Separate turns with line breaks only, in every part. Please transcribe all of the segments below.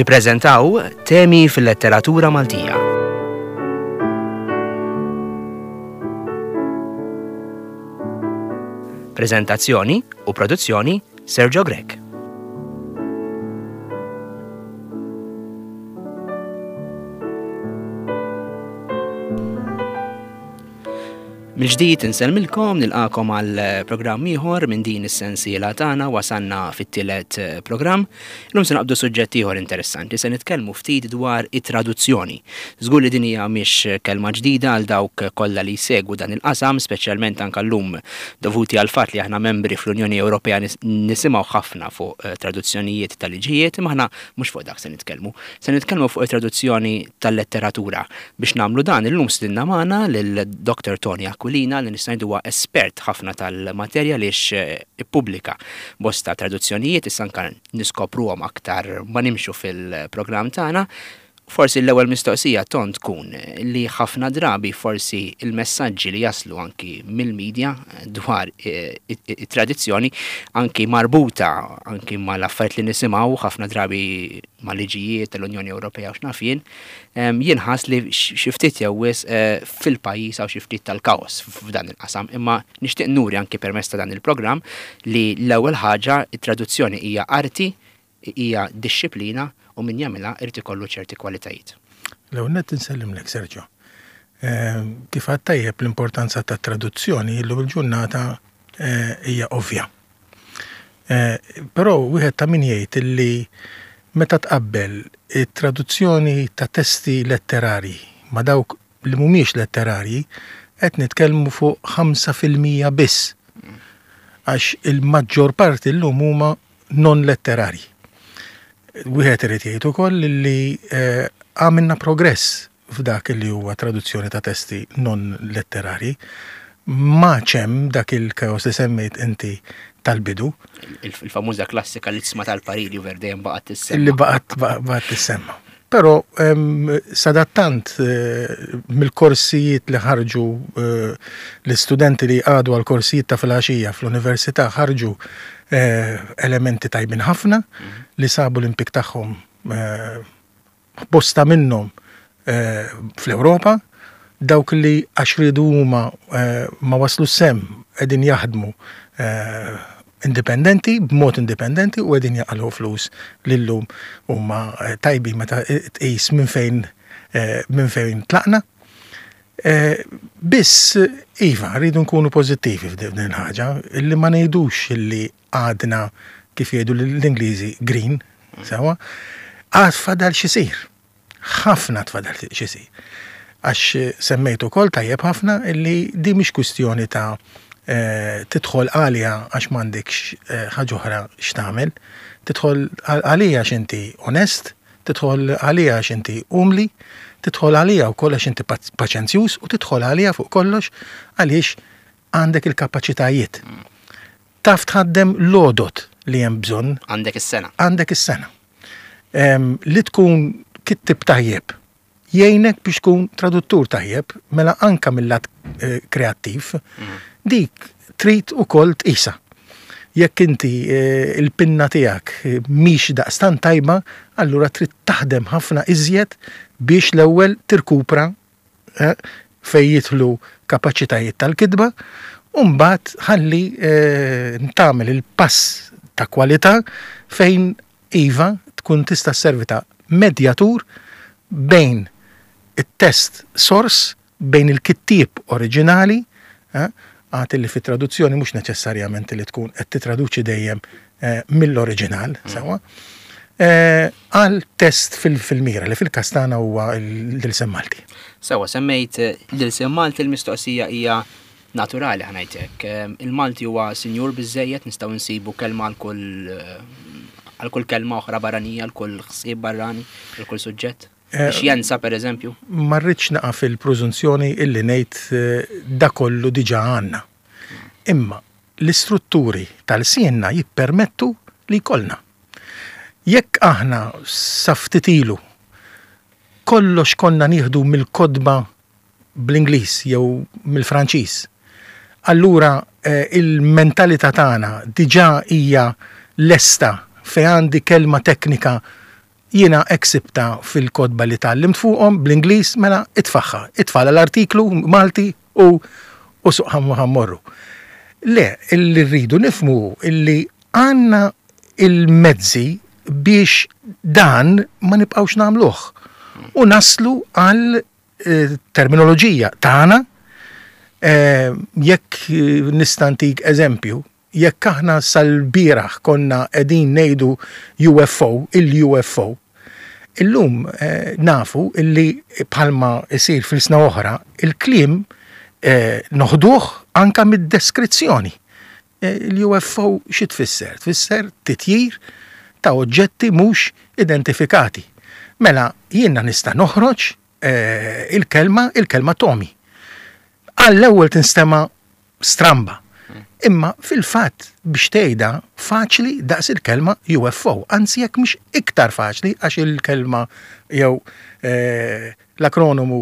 Nippreżentaw temi fil-letteratura Maltija. Preżentazzjoni u produzzjoni Sergio Grech. Mill-ġdid insellmilkom, nilqakom għal programm ieħor minn din is-sensiela tagħna wasalna fit-tielet eh, programm. Illum se naqbdu suġġett ieħor interessanti, se nitkellmu ftit dwar it-traduzzjoni. Żgur li din hija mhix kelma ġdida għal dawk kollha li jsegwu dan il-qasam, speċjalment anke llum dovuti għal fatt li aħna membri fl-Unjoni Ewropea nisimgħu ħafna fuq eh, traduzzjonijiet ta' liġijiet, imma aħna mhux fuq dak se nitkellmu. Se nitkellmu fuq it-traduzzjoni tal-letteratura. Biex nagħmlu dan illum stidinna magħna lil Dr. Tony Aquilina li nista' ngħidu huwa espert ħafna tal-materja għaliex ippubblika bosta traduzzjonijiet issa anke niskopruhom aktar ma nimxu fil-programm tagħna. Forsi l-ewwel mistoqsija Ton tkun li ħafna drabi forsi l-messaġġi li jaslu anki mill-media dwar it-tradizzjoni anki marbuta anki mal-affarijiet li nisimgħu ħafna drabi ma' liġijiet tal-Unjoni Ewropea u x'naf jien, jinħass li xi ftit jew wisq eh, fil-pajjiż hawn xi ftit tal-kaos f'dan il-qasam. Imma nixtieq nuri anki permezz ta' dan il-programm li l-ewwel ħaġa it-traduzzjoni hija arti, hija dixxiplina u min jagħmilha irid ikollu ċerti kwalitajiet.
L-ewwel nett insellimlek Sergio. Kif għad tajjeb l-importanza tat-traduzzjoni illum il-ġurnata eh, hija ovvja. Però wieħed ta' min jgħid illi meta tqabbel it-traduzzjoni ta' testi letterarji ma' dawk li mhumiex letterarji, qed nitkellmu fuq 5% biss. Għax il-maġġor parti llum huma non letterarji. Wieħed irid jgħid ukoll li eh, għamilna progress f'dak li huwa traduzzjoni ta' testi non letterarji. M'għadx hemm dak il-kaos li semmejt inti tal-bidu.
Il-famuża klassika li tisma' tal-pariri u dejjem baqgħet tissemma.
Li baqgħet baqgħet tissemma. Però sadattant eh, mill-korsijiet li ħarġu eh, l-istudenti li għadu għal korsijiet ta' filgħaxija fl-università ħarġu eh, elementi tajbin ħafna mhm. li sabu l-impik tagħhom bosta minnhom fl-Ewropa, dawk li għax riedu huma ma waslux s'hemm qegħdin jaħdmu indipendenti, b'mod indipendenti u qegħdin jaqalgħu flus li llum huma tajbin meta tqis minn fejn minn fejn tlaqna. Biss iva, rridu nkunu pożittivi f'din il-ħaġa, illi ma ngħidux illi għadna kif jgħidu l-Ingliżi green, sewa, għad fadal xisir. Ħafna tfadal xisir. Għax semmejt ukoll tajjeb ħafna illi di mhix kwistjoni ta' eh, tidħol għalija għax m'għandekx eh, ħaġa oħra x'tagħmel, tidħol għalija għax inti onest, tidħol għalija għax inti umli, tidħol għalija wkoll għax inti paċenzjuż u tidħol għalija fuq kollox għaliex għandek il-kapaċitajiet. Taf tħaddem l-għodod li hemm bżonn.
Għandek is-sengħa.
Għandek is-sengħa. Li tkun kittib tajjeb jgħinek biex tkun traduttur tajjeb, mela anka mill-lat eh, kreattiv, mm. dik trid ukoll tqisha. Jekk inti eh, il-pinna tiegħek eh, mhix daqstan tajba, allura trid taħdem ħafna iżjed biex l-ewwel tirkupra fejn jidħlu kapaċitajiet tal-kitba, u mbagħad ħalli tagħmel il-pass ta' kwalità fejn iva tkun tista' sservi ta' medjatur bejn it-test sors, bejn il-kittieb oriġinali, għad illi fit-traduzzjoni mhux neċessarjament li tkun qed titraduċi dejjem mill-oriġinal, sewwa, għal test fil-mira li fil-każ tagħna huwa l-ilsien Malti.
Sewwa, semmejt l-ilsien Malti, l-mistoqsija hija naturali ħa ngħid hekk. Il-Malti huwa sinjur biżżejjed, nistgħu nsibu kelma għal kull għal kull kelma oħra barranija, għal kull ħsieb barrani, għal kull suġġett? Xjenza per eżempju?
Ma rridx naqa' fil-prużunzjoni illi ngħid da kollu diġà għandna. Imma l-istrutturi tal-lsienna jippermettu li jkollna. Jekk aħna sa ftit ilu kollox konna nieħdu mill-kotba bl-Ingliż jew mill-Franċiż, allura il-mentalità tagħna diġà hija lesta fejn għandi kelma teknika. Jiena hekk sibtha fil-kotba li tgħallimt fuqhom bl-Ingliż, mela itfagħha, itfagħlha l-artiklu Malti u u suq ħa mmorru. Le, li rridu nifhmu hu illi għandna il-mezzi biex dan ma nibqgħux nagħmluh u naslu għal terminoloġija tagħna. Jekk nista' ntik eżempju, Jekk aħna sal-bieraħ konna qegħdin ngħidu UFO, il-UFO, illum nafu illi bħalma jsir f'ilsna oħra, il-kliem noħduh anke mid-deskrizzjoni. Il-UFO xi tfisser? Tfisser titjir ta' oġġetti mhux identifikati. Mela jiena nista' noħroġ il-kelma, il-kelma Tommy. Għall-ewwel tinstema' stramba. Imma fil-fatt biex tgħidha faċli daqs il-kelma UFO, anzi jekk mhix iktar faċli għax il-kelma jew eh, l-akronomu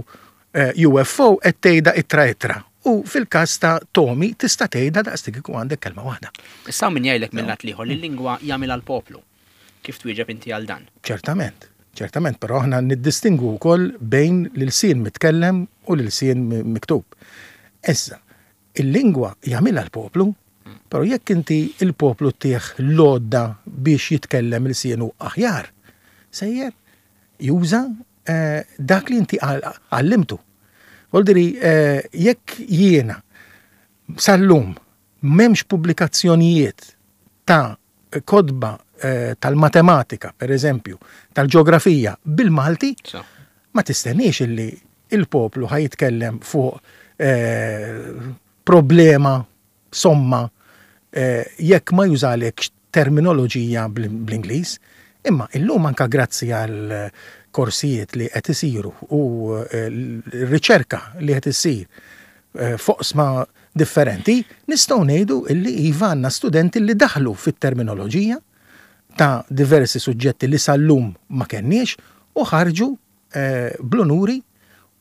eh, UFO qed tgħidha ittra ittra. U fil-każ ta' Tomi tista' tgħidha daqs kieku għandek kelma waħda.
Issa min jgħidlek mill-lat l-ieħor li l-lingwa jagħmilha l-poplu. Kif twieġeb inti għal dan?
Ċertament, ċertament, però aħna niddistingwu wkoll bejn l-ilsien mitkellem u l-ilsien miktub. Issa, il-lingwa jagħmilha l-poplu, però jekk inti l-poplu ttih l-għodda biex jitkellem ilsienu aħjar, sejjer juża dak li inti għallimtu. Voldiri, jekk jiena sal-lum m'hemmx pubblikazzjonijiet ta' kotba tal-matematika, per eżempju, tal-ġeografija bil-Malti, ma tistenniex illi il-poplu ħa jitkellem fuq problema, somma, jekk ma jużalekx terminoloġija bl-Ingliż. Imma illum anka grazzi għal korsijiet li qed isiru u r-riċerka li qed issir f'oqsma differenti, nistgħu ngħidu illi iva għandna studenti li daħlu fit-terminoloġija ta' diversi suġġetti li sal-lum ma kenniex u ħarġu bl-unuri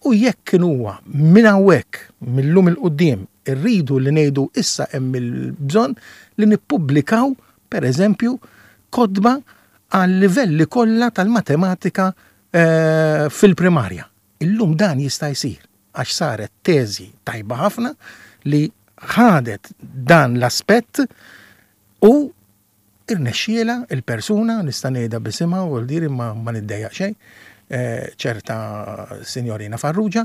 u jekk kien huwa minn hawnhekk, mil-lum 'il quddiem, irridu li ngħidu issa hemm il-bżonn li nippubblikaw pereżempju kotba għal-livelli kollha tal-matematika fil-primarja. Illum dan jista' jsir. Għax saret teżi tajba ħafna li ħadet dan l-aspett u irnexxielha il-persuna, nista' ngħidha b'isimha u l-diri ma ma niddejjaq xejn, ċerta Sinjorina Farrugia,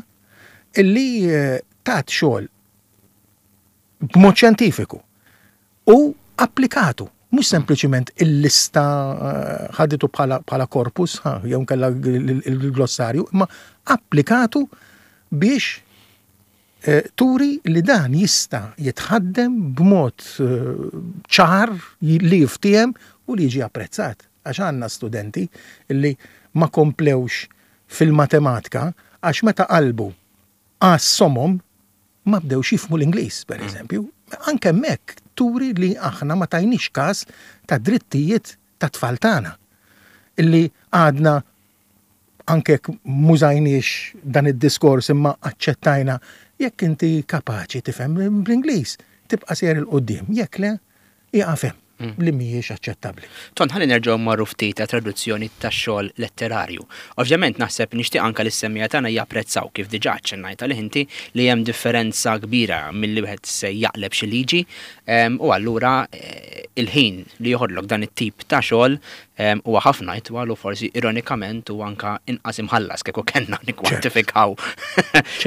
illi tat xogħol b'mod xjentifiku u applikatu, mhux sempliċiment il-lista ħaditu bħala korpus, jew inkella il-glossarju, imma applikatu biex turi li dan jista' jitħaddem b'mod ċar li jiftiehem u li jiġi apprezzat. Għax għandna studenti li ma komplewx fil-matematika għax meta qalbu għas-somom ma bdewx jifhmu l-Ingliż, per eżempju. Anke hemmhekk turi li aħna ma tajniex każ ta' drittijiet tat-tfal tagħna. Illi għadna anke jekk m'użajniex dan id-diskors imma aċċettajna jekk inti kapaċi tifhem bl-Ingliż, tibqa' sejjer 'il quddiem, jekk le, ieqaf hemm. Li mhijiex aċċettabbli.
Ton, ħalli nerġgħu mmorru ftit għat-traduzzjoni tax-xogħol letterarju. Ovvjament naħseb nixtieq anke li s-semmiegħa tagħna japprezzaw, kif diġà aċċennajt għalih inti, li hemm differenza kbira milli wieħed se jaqleb xi liġi u allura il-ħin li joħodlok dan it-tip ta' xogħol huwa ħafna itwal u forsi ironikament huwa anke inqas imħallas kieku kellna nikkwantifikaw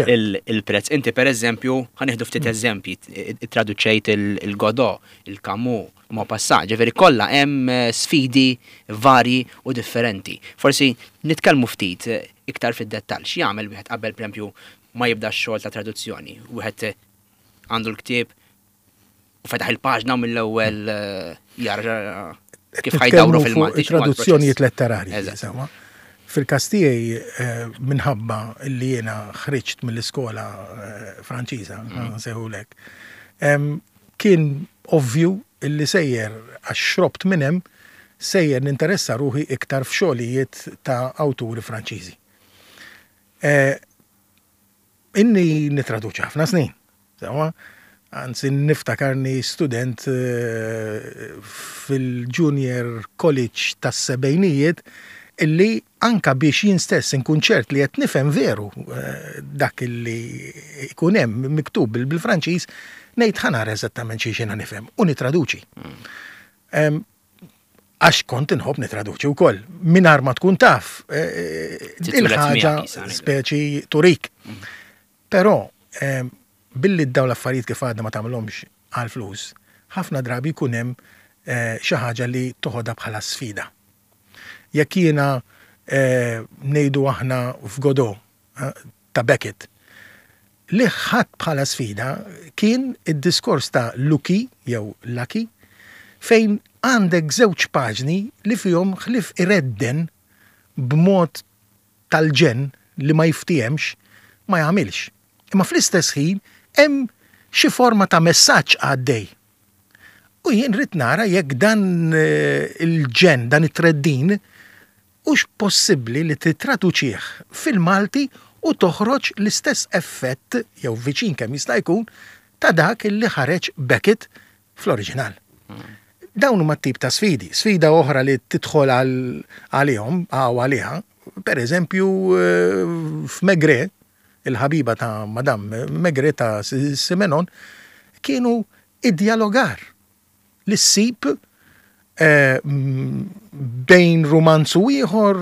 il-prezz. Inti pereżempju, ħa nieħdu ftit eżempji, ittraduċejt il-Godot, il-Camus, Maupassant, ġifieri kollha hemm sfidi varji u differenti. Forsi nitkellmu ftit iktar fid-dettall, x'jagħmel wieħed qabel pereżempju ma jibda x-xogħol ta' traduzzjoni? Wieħed għandu l-ktieb u fetaħ il-paġna u mill-ewwel jara kif ħajdawru fil-Malti.
Traduzzjonijiet letterarji. Sewwa. Fil-każ tiegħi minħabba li jiena ħriġt mill-iskola Franċiża, nsejħulek, Kien ovvju li sejjer, għax xrobt minn hemm, sejjer ninteressa ruħi iktar f'xogħlijiet ta' awturi Franċiżi. Inni nittraduċi ħafna snin, sewwa, anzi niftakarni student fil-Junior College tas-sebgħinijiet Illi anka biex jien stess inkun ċert li qed nifhem veru dak illi jkun hemm miktub bil-Franċiż, ngħid ħa nara eżattament xi jiena nifhem u nitraduċi. Għax kont inħobb nitraduċi wkoll, mingħajr ma tkun taf il-ħaġa speċi turik. Però billi dawn l-affarijiet kif għadna ma tagħmilhomx għall-flus, ħafna drabi jkun hemm xi ħaġa li toħodha bħala sfida. Jekk jiena ngħidu aħna f'Godot ta' Beckett, li ħadt bħala sfida kien id-diskors ta' Lucky jew Lucky fejn għandek żewġ paġni li fihom ħlief iredden b'mod tal-ġenn li ma jiftiehemx ma jagħmilx. Imma fl-istess ħin hemm xi forma ta' messaġġ għaddej. U jien rrid nara jekk dan il-ġenn, dan it-treddin, hux possibbli li tittraduċih fil-Malti u toħroġ l-istess effett, jew viċin kemm jista' jkun, ta' dak li ħareġ Beckett fl-oriġinal. Dawn huma t-tip ta' sfidi. Sfida oħra li tidħol għalihom, għaw għaliha, per eżempju f'Maigret, il-ħabiba ta' Madame Maigret ta' Simenon, kienu id-dialogar li ssib bejn rumanz u ieħor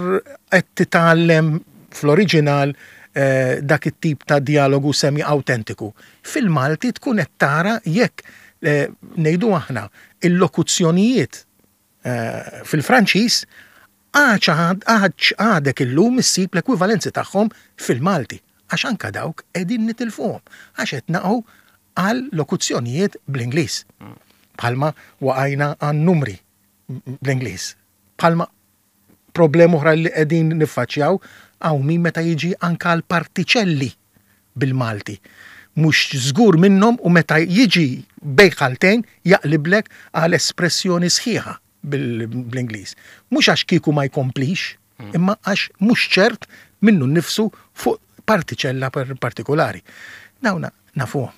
qed titgħallem fl-oriġinal dak it-tip ta' dialogu semi autentiku. Fil-Malti tkun qed tara jekk ngħidu aħna il-lokuzzjonijiet fil-Franċiż għax għadek illum issib l-ekwivalenzi tagħhom fil-Malti għax anka dawk qegħdin nitilfuhom għax qed naqgħu għal lokuzzjonijiet bl-Ingliż. Bħalma waqajna għan numri bl-Ingliż. Bħalma problema oħra li qegħdin niffaċċjaw hawn min meta jiġi anka għal partiċelli bil-Malti. Mhux żgur minnhom u meta jiġi bejn ħaltejn jaqliblek għal espressjoni sħiħa bl-Ingliż. Mhux għax kieku ma jkomplix, imma għax mhux ċert minnu nnifsu fuq partiċella partikolari. Dawna nafuhom.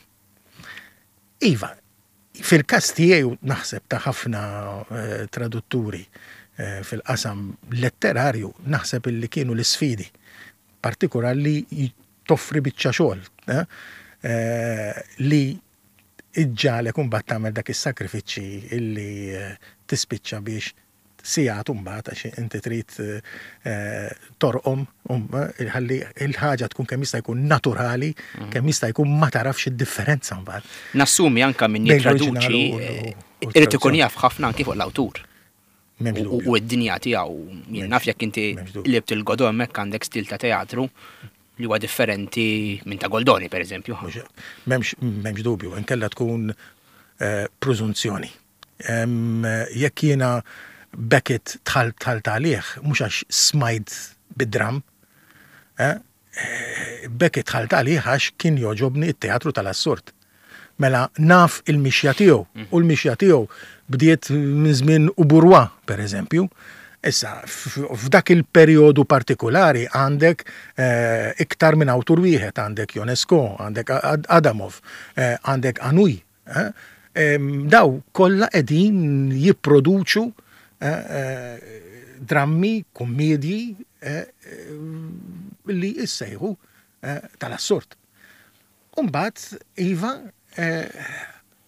Iva, fil-każ tiegħi u naħseb ta' ħafna tradutturi fil-qasam letterarju, naħseb illi kienu l-isfidi, partikolar li toffri biċċa xogħol li iġġagħlek imbagħad tagħmel dak is-sakrifiċċji illi tispiċċa biex sigħat imbagħad għax inti trid torqom ħalli l-ħaġa tkun kemm jista' jkun naturali, kemm jista' jkun ma tarafx id-differenza mbagħad.
Nassumi anke min jittraduċi irid ikun jaf ħafna anki fuq l-awtur. U d-dinja tiegħu. Jien naf jekk inti qlibt il-Godot hemmhekk għandek stil ta' teatru li huwa differenti minn ta' Goldoni pereżempju.
M'hemmx dubju, inkella tkun preżunzjoni. Jekk jiena Beckett dħalt dħalt għalih, mhux għax smajt bid-dramm, Beckett dħalt għalih għax kien jogħġobni t-teatru tal-assurd. Mela naf il-mixja tiegħu u l-mixja tiegħu bdiet minn żmien Uburwa, per eżempju. Issa, f'dak il-perjodu partikulari għandek iktar minn awtur wieħed, għandek Ionesco, għandek Adamov, għandek Anouilh. Daw kollha qegħdin jipproduċu drammi, kummedji li jissejħu tal-assurd. U mbagħad iva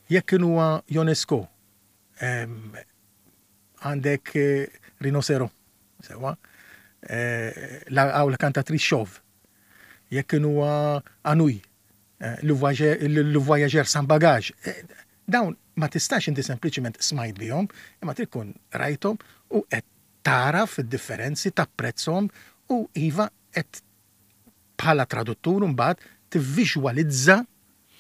jekk kien huwa Ionesco għandek Rhinocero, sewwa, hawn la cantatrice chauve. Jekk kien huwa Anouilh, Le voyageur sans bagage. Dawn ma tistax inti sempliċiment smajt bihom, imma trid tkun rajthom u qed tagħraf id-differenzi, tapprezzhom u iva qed bħala traduttur imbagħad tivviżwalizza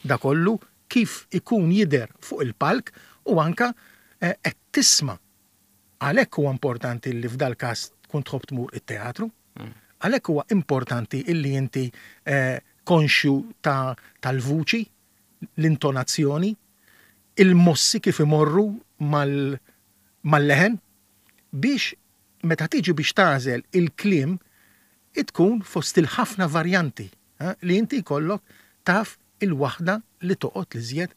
da kollu kif ikun jidher fuq il-palk u anke qed tisma'. Għalhekk huwa importanti li f'dal-każ tkun tħobb tmur it-teatru. Għalhekk huwa importanti illi inti konxju ta' tal-vuċi, l-intonazzjoni, il-mossi kif imorru mal-leħen biex meta tiġi biex tagħżel il-kliem tkun fost il-ħafna varjanti li inti jkollok taf il-waħda li toqgħod l-iżjed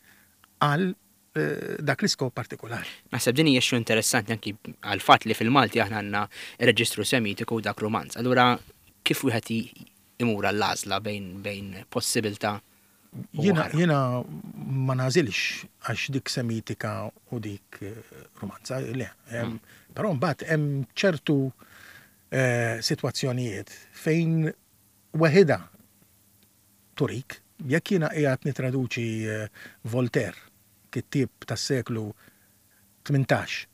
għal. dak l-iskop partikolari.
Naħseb din hija xi interessanti anki għall-fatt li fil-Malti aħna għandna reġistru Semitiku u dak Rumanz. Allura kif wieħed imur għall-għażla bejn bejn possibilità u
Jiena
oħra?
jiena ma nagħżilx għax dik Semitika u dik Rumanza, le. Però mbagħad hemm ċertu sitwazzjonijiet fejn weħidha turik. Jekk jiena qiegħed nittraduċi Voltaire, kittieb tas-seklu 18,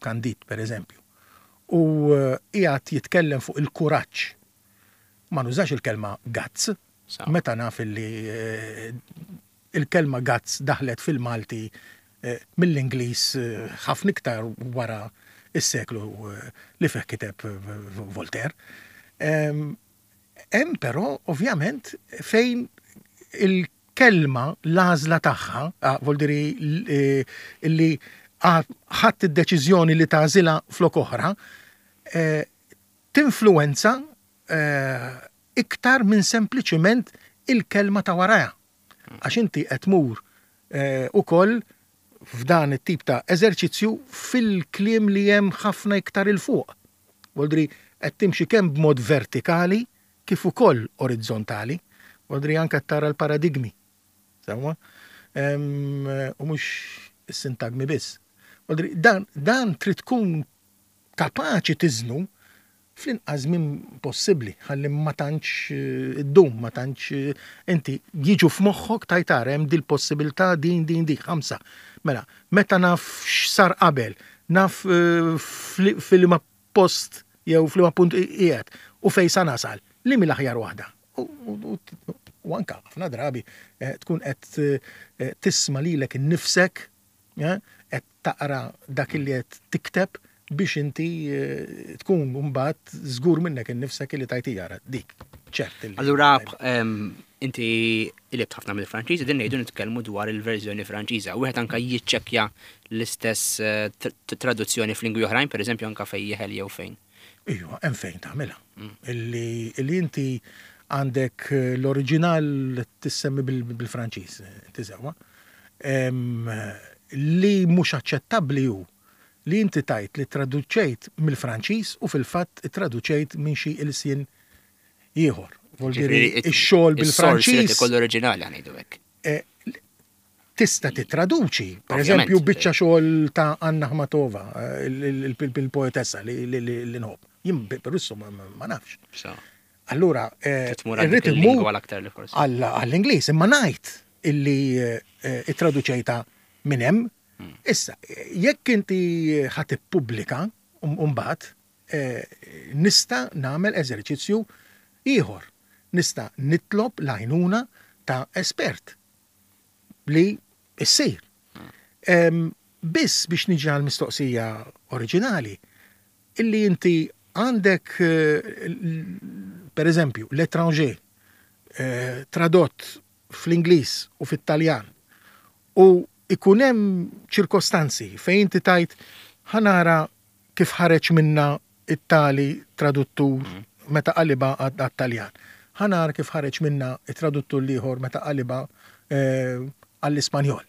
Candide per eżempju, u qiegħed jitkellem fuq il-kuraġġ, ma nużax il-kelma guts, meta naf illi il-kelma guts daħlet fil-Malti mill-Ingliż ħafna iktar wara s-seklu li fih kiteb Voltaire. Hemm però ovvjament fejn il-kelma l-għażla tagħha, vuol dire li ħadt id-deċiżjoni li tagħżilha flok oħra, tinfluwenza iktar minn sempliċiment il-kelma ta' warajha. Għax inti qed tmur ukoll f'dan it-tip ta' eżerċizzju fil-kliem li hemm ħafna iktar 'il fuq. Vuol dire qed timxi kemm b'mod vertikali kif ukoll orizzontali. Vuol dire anke qed tara l-paradigmi. Sewwa? U mhux is-sintagmi biss. Vuol dire dan, dan trid tkun kapaċi tiżnu fl-inqas żmien possibbli ħalli ma tantx iddum, ma tantx inti jiġu f'moħħok tgħid ara hemm dil-possibilità din din dik ħamsa. Mela, meta naf x'sar qabel, naf f'liema post jew f'liema punt qiegħed u fejn sa nasal, liema hi l-aħjar waħda. U anke ħafna drabi tkun qed tisma' lilek innifsek qed taqra dak li qed tikteb biex inti tkun mbagħad żgur minnek innifsek li tajt jara dik. Ċert.
Allura inti qlibt ħafna mill-Franċiż, din ngħidu nitkellmu dwar il-verżjoni Franċiża. Wieħed anka jiċċekkja l-istess traduzzjoni f'lingwi oħrajn, pereżempju anka fejn jeħel jew fejn.
Iva, hemm fejn tagħmilha. Illi inti għandek l-oriġinal tissemmi bil-Franċiż, inti sewwa. Li mhux aċċettabbli hu li inti tgħid li traduċejt mill-Franċiż u fil-fatt ittraduċejt minn xi ilsien ieħor. Vuol dire ix-xogħol bil-Franċiż.
Ikollu oriġinali ħa ngħidu hekk.
Tista' tittraduċi, per eżempju, biċċa xogħol ta' Anna Akhmatova, il-poetessa li nħobb. Jien bir-Russu ma nafx. Allura, irrid immur għall-Ingliż, imma ngħid illi ittraduċejta minn hemm. Issa, jekk inti ħa tippubblika mbagħad, nista' nagħmel eżerċizzju ieħor. Nista' nitlob l-għajnuna ta' espert li ssir. Biss biex niġi għall-mistoqsija oriġinali, illi inti għandek per eżempju L'Étranger tradott fl-Ingliż u fit-Taljan u ikun hemm ċirkostanzi fejn inti tgħid ħa nara kif ħareġ minna it-tali traduttur meta qalibha għat-Taljan. Ħa nara kif ħareġ minna it-traduttur l-ieħor meta qalibha għall-Ispanjol.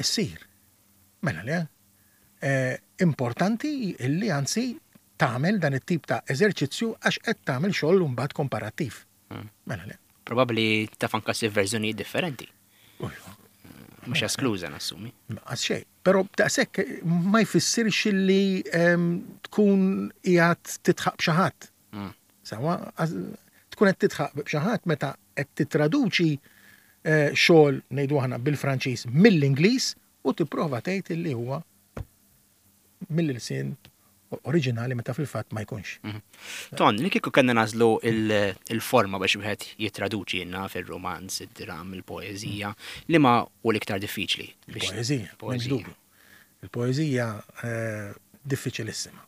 Issir. Mela le. Importanti illi anzi tagħmel dan it-tip ta' eżerċizzju għax qed tagħmel xogħol mbagħad komparattiv. Mela le.
Probabbli taf anka ssib verżjonijiet differenti. Mhux eskluża nassumi.
Għas xejn. Però daqshekk ma jfissirx illi tkun qiegħed titħaq b'xi ħadd. Sewwa, tkun qed titħaq b'xi ħadd meta qed tittraduċi xogħol ngħidu aħna bil-Franċiż mill-Ingliż u tipprova tgħid illi huwa mill-ilsien oriġinali meta fil-fatt ma jkunx.
Ton, li kieku kellna nagħżlu il-forma biex wieħed jittraduċi jenna fir-romanz, id-dram, il-poeżija, li ma hu l-iktar diffiċli?
Il-poeżija, m'hemmx dubju. Il-poeżija diffiċilissima.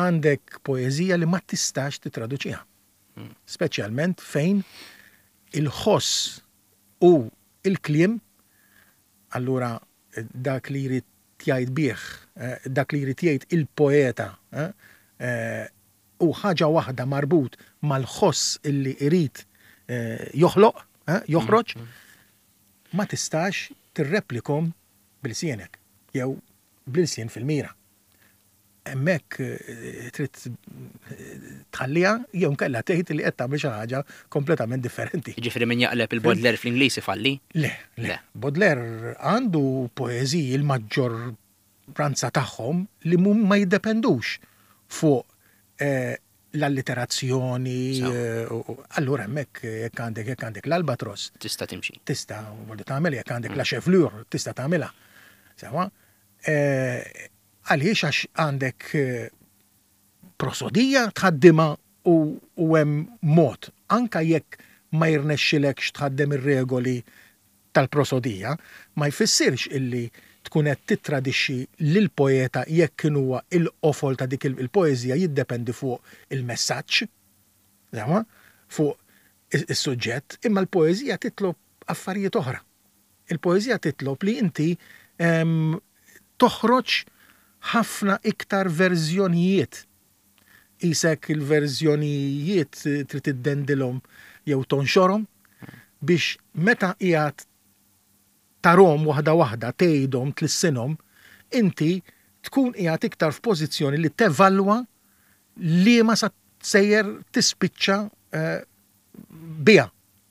Għandek poeżija li ma tistax titraduċiha. Speċjalment fejn il-ħoss u il-kliem, allura dak li jrid jgħid bih, dak li jrid jgħid il-poeta, u ħaġa waħda marbut mal-ħoss illi jrid joħloq, joħroġ, ma tistax tirreplikhom b'ilsienek jew bl-ilsien fil-mira. Hemmhekk trid tħalliha jew inkella tgħid li qed tagħmel xi ħaġa kompletament differenti.
Jiġifieri min jaqleb il-Baudelaire fl-Ingliż ifalli?
Le, le. Baudelaire għandu poeżiji l-maġġorranza tagħhom li ma jiddependux fuq l-alliterazzjoni. Allura hemmhekk jekk għandek jekk għandek l-albatros.
Tista' timxi.
Tista' tagħmel jekk għandek la chevelure tista' tagħmilha. Sewwa? Għaliex? Għax għandek prosodija tħaddimha u hemm mod, anke jekk ma jirnexxilekx tħaddem ir-regoli tal-prosodija, ma jfissirx illi tkun qed tittradixxi lill-poeta jekk kien huwa l-qofol ta' dik il-poeżija jiddependi fuq il-messaġġ, sewwa, fuq is-suġġett, imma l-poeżija titlob affarijiet oħra. Il-poeżija titlob li inti toħroġ ħafna iktar verżjonijiet. Qisek il-verżjonijiet trid iddendilhom jew tonxorhom biex meta qiegħed tarhom waħda waħda, tgħidhom, tlissinhom, inti tkun qiegħed iktar f'pożizzjoni li tevalwa liema sa sejjer tispiċċa biha.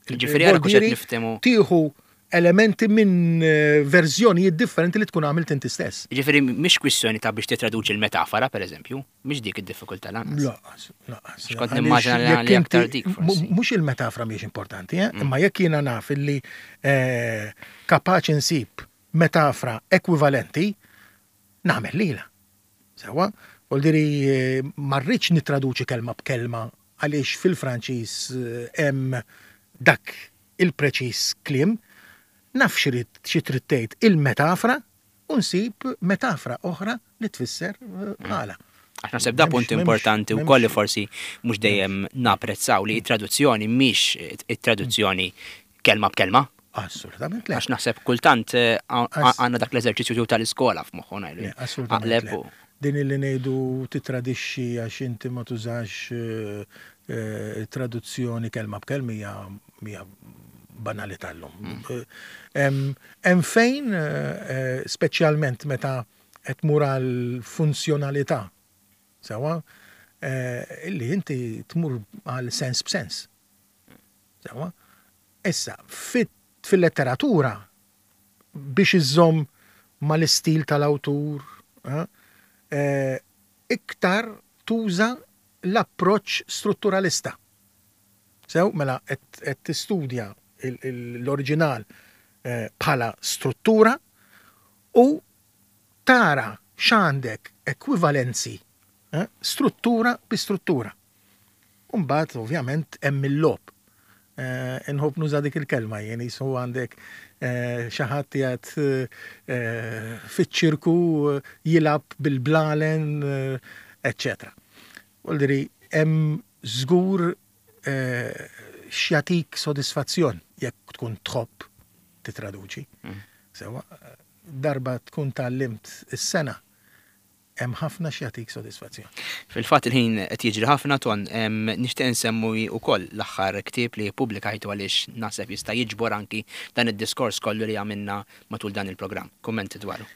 Ġifieri għara kux qed niftehmu.
Tieħu elementi minn eh, verżjonijiet differenti li tkun għamilt inti stess.
Ġifieri mhix kwistjoni ta' biex titraduċi l-metafora, pereżempju, mhix dik id-diffikultà lanqas.
Laqas, laqas.
X'kont nimmaġina li aktar dik
forsi. Mhux il-metafora mhijiex importanti, eh? imma jekk jiena naf illi eh, kapaċi nsib metafora ekwivalenti, nagħmel lilha. Sewwa? Vuol diri ma rridx nittraduċi kelma b'kelma għaliex fil-Franċiż hemm dak il-preċiż kliem. Naf x'irid xi trid tgħid il-metafra u nsib metafra oħra li tfisser bħalha.
Għax naħseb da punt importanti wkoll li forsi mhux dejjem napprezzaw li t-traduzzjoni mhix it-traduzzjoni kelma b'kelma.
Assolutament le.
Għax naħseb kultant eh, għandna dak l-eżerċizzju tal-iskola f'moħħu
ngħidu. Assolutament. Din li ngħidu titradixxi għax inti ma tużax eh, eh, traduzzjoni kelma b'kelma hija hija banalità llum. Mm. Hemm fejn speċjalment meta qed tmur għal funzjonalità sewa illi inti tmur għal sens b'sens. Sewa? Issa, fil-letteratura, biex iżżomm mal-istil tal-awtur, iktar tuża l-approċċ strutturalista. Sew, mela qed tistudja l-oriġinal bħala struttura u tara x'għandek ekwivalenzi struttura bi struttura. U mbagħad ovvjament hemm il-logħob. Inħobb nuża dik il-kelma jien qisu għandek xi ħadd qiegħed fiċ-ċirku jilgħab bil-blalen, eċċetera. Vuol dire hemm żgur x'jagħtik sodisfazzjon jekk tkun tħobb titraduċi. Sewwa, darba tkun tgħallimt is-sengħa, Hemm ħafna x'jagħtik sodisfazzjon.
Fil-fatt il-ħin qed jiġri ħafna Ton, nixtieq insemmi wkoll l-aħħar ktieb li ppubblikajtu għaliex naħseb jista' jiġbor anki dan id-diskors kollu li għamilna matul dan il-programm. Kummenti dwaru.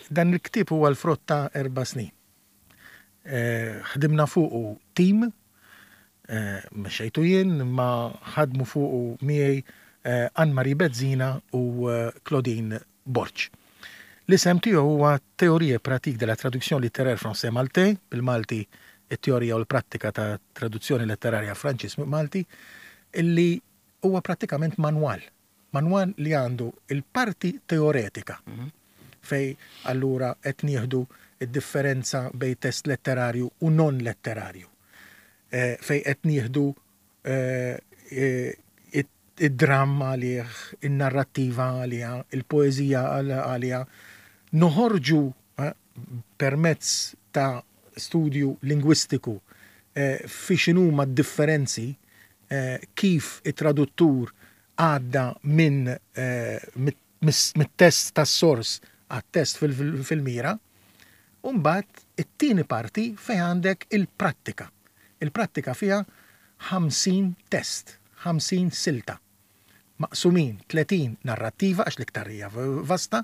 Dan il-ktieb huwa l-frott ta' erba' snin. Ħdimna fuqu tim, mexxejtu jien, imma ħadmu fuqu miegħi Anne Marie Bezzina u Claudine Borg. L-isem tiegħu huwa Théorie et pratique de la traduction littéraire français-maltais, bil-Malti It-teorija u l-prattika ta' traduzzjoni letterarja Franċiż-Malti, illi huwa prattikament manwal. Manwal li għandu l-parti teoretika, fejn allura qed nieħdu d-differenza bejn test letterarju u non-letterarju, fejn qed nieħdu id-dramm għalih, in-narrattiva għaliha, il-poeżija għaliha, noħorġu permezz ta' studju lingwistiku fi x'inhuma d-differenzi, kif it-traduttur għadda minn mit-test tas-sors għat-test fil-mira, u mbagħad it-tieni parti fejn għandek il-prattika. Il-prattika fiha 50 test, 50 silta. Maqsumin 30 narrattiva għax l-iktar hija vasta,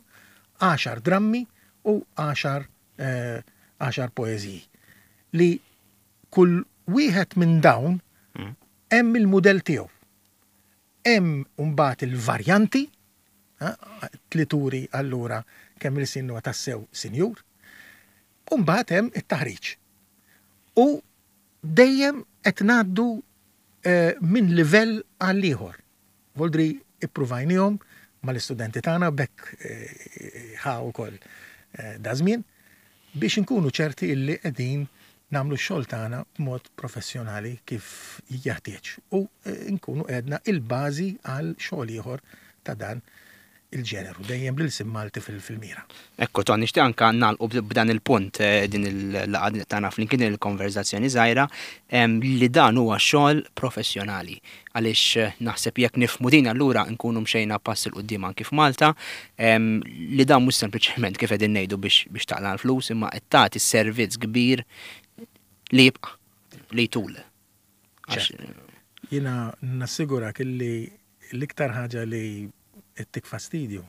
għaxar drammi u għaxar għaxar poeżiji. Li kull wieħed minn dawn hemm il-mudell tiegħu. Hemm mbagħad il-varjanti, li turi allura kemm il-sin huwa tassew sinjur, u mbagħad hemm it-taħriġ. U dejjem qed ngħaddu minn livell għal ieħor. Voldri ippruvajnihom mal-istudenti tagħna b'hekk ħa wkoll daż-żmien biex inkunu ċerti illi qegħdin nagħmlu x-xogħol tagħna b'mod professjonali kif jeħtieġ u nkunu qegħdna il-bażi għal xogħol ieħor ta' dan il-ġeneru, dejjem bl-ilsien Malti fil-mira.
Ekku, Ton, nixtieq anke nagħlqu b'dan il-punt din il-laqgħa tagħna flimkien, din il-konverżazzjoni żgħira, li dan huwa xogħol professjonali. Għaliex naħseb jekk nifhmu din allura nkunu mxejna pass 'il quddiem anki f'Malta, li dan mhux sempliċement kif qegħdin ngħidu biex taqla' l-flus imma qed tagħti servizz kbir li jibqa', li jtul.
Jiena nassigurak illi l-iktar ħaġa li ttik fastidju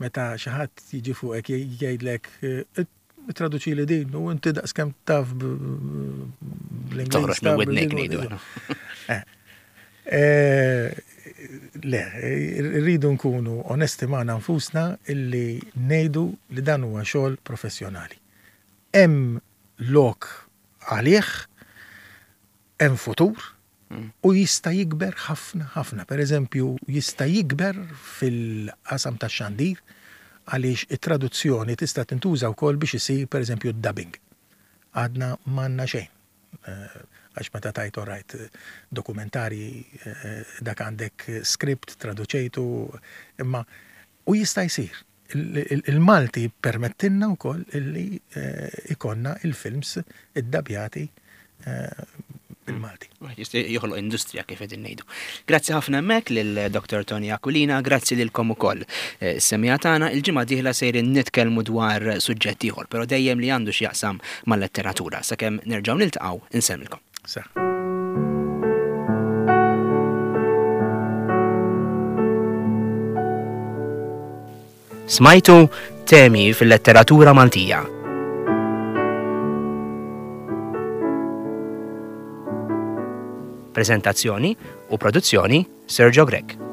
meta xi ħadd jiġi fuqek jgħidlek Traduċili din u inti daqskemm taf
bl-Ingliż. Toħroġ minn widnejk ngħidu.
Eh. Eh, le, rridu nkunu onesti magħna nfusna illi ngħidu li dan huwa xogħol professjonali. Hemm lok għalih, hemm futur, U jista' jikber ħafna ħafna. Per eżempju, jista' jikber fil-qasam tax-xandir għaliex it-traduzzjoni tista' tintuża wkoll biex isir per eżempju d-dubbing. Għadna m'għandna xejn. Għax meta tgħid all right, dokumentarji dak għandek script traduċejtu, imma u jista' jsir. Il-Malti jippermettilna wkoll illi ikollna il-films iddabjati bil-Malti.
Wieħed jista' joħloq industrija kif qegħdin ngħidu. Grazzi ħafna hemmhekk lil Dr. Tony Aquilina, grazzi lilkom ukoll. Eh, Semija tagħna il-ġimgħa dieħla sejrin nitkellmu dwar suġġett ieħor, però dejjem li għandu x'jaqsam mal-letteratura. Sakemm nerġgħu niltaqgħu, insellmilkom.
Sa.
Smajtu Temi fil-Letteratura Maltija. Preżentazzjoni u produzzjoni Sergio Grech.